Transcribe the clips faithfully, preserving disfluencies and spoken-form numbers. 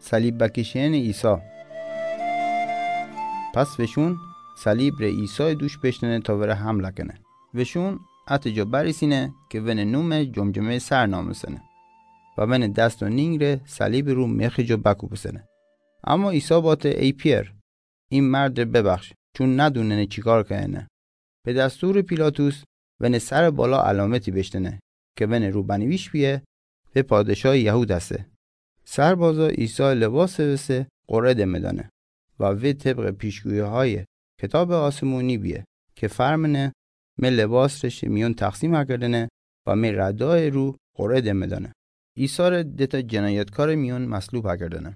Salib bakishene Isa. Pas veshun, salib re Isai dush beshtene ta vere hamla kene. Veshun, ate jo barisine ke vene nume jomjome sar namusene. Va vene dast o ningre salib ru mekhi jo baku busene. Ama Isa bate: Ey Pier, in mard re bebakhsh, chun nadunene chikar kene. Be dastur Pilatus vene sar bala alameti beshtene, ke vene ru banivish bie: Ve padshah Yahud ase. Sarbaza Isa lebas vese qore de medane. Va ve tebqe pishguihaye kitabe asimuni bie, ke farmene: Me lebas re she miyon taksim akerdene, va me radae ru qore de medane. Isa re deta jenayatkare miyon maslub akerdene.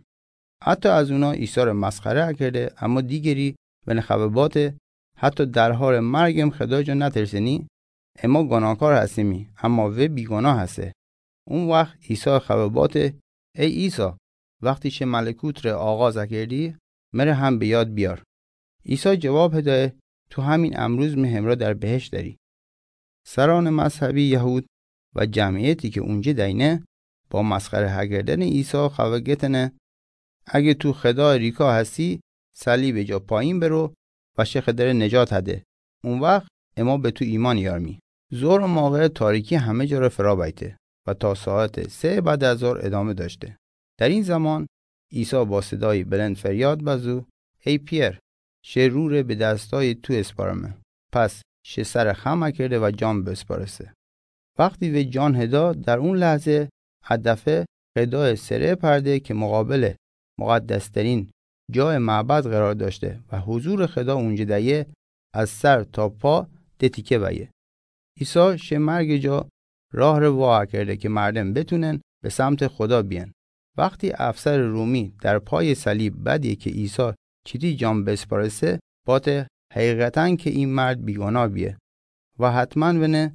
Ata azuna Isa re maskhare akerede, ama digeri vene khavebate: Hata darhare margem Khedai jo naterseni? Ema gonakar hasemi, ama ve bigonah hase. Un wakht Isa khavebate: Ey Isa, wakhti she malekut re aghaz akerdi, mere ham be yad biar. Isa jevab hedae: Tu hamin amruz me hemra dar behesht dari. Sarane mazhabi Yahud va jamiyeti ke unje daine, ba maskhare hakerdene Isa khavegetene: Age tu Khedai rika hasi, salibe ja payin bero va she Khedare nejat hade. Un wakht ema be tu iman yarmi. Zor o maghe tariki hame jare ferabaite va ta saate se bade azar edame dashte. Dar in zaman Isa ba sedai belend feryad bazu: Ey Pier, she rure be dastay tu esparame. Pas she sare kham akerde va jan besparese. Wakhti ve jan heda, dar un lahze a dafe Khedai sere parde ke muqabele muqaddasterin jae mabad qerar dashte va huzur Kheda unje daye, az sar ta pa de tike baye. Isa she marge ja rah re va akerde ke mardem betunen be samt Kheda bien. Wakhti afsar Rumi dar pay salib badie ke Isa chiti jan besparese, bate: Haqiqatan ke in mard bigonah bie va hatman vene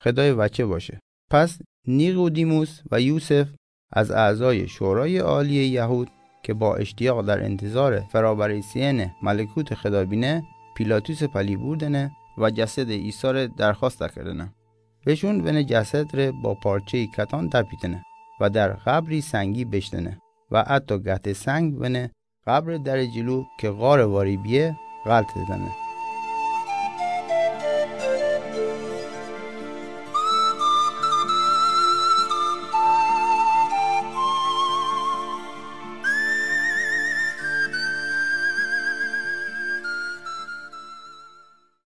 Khedai vache bashe. Pas Niqodimus va Yusef, az azay shoray aliye Yahud, ke ba eshtiyaq dar entezare ferabarisiyene malekut Kheda bine, Pilatus pali burdene va jased Isa re darkhast akerdene. Veshun vene jased re ba parchey katan dapitene va dar qabri sangi beshtene va ato gahte sang vene qabri dare jilu ke qare vari bie ghalt dedene.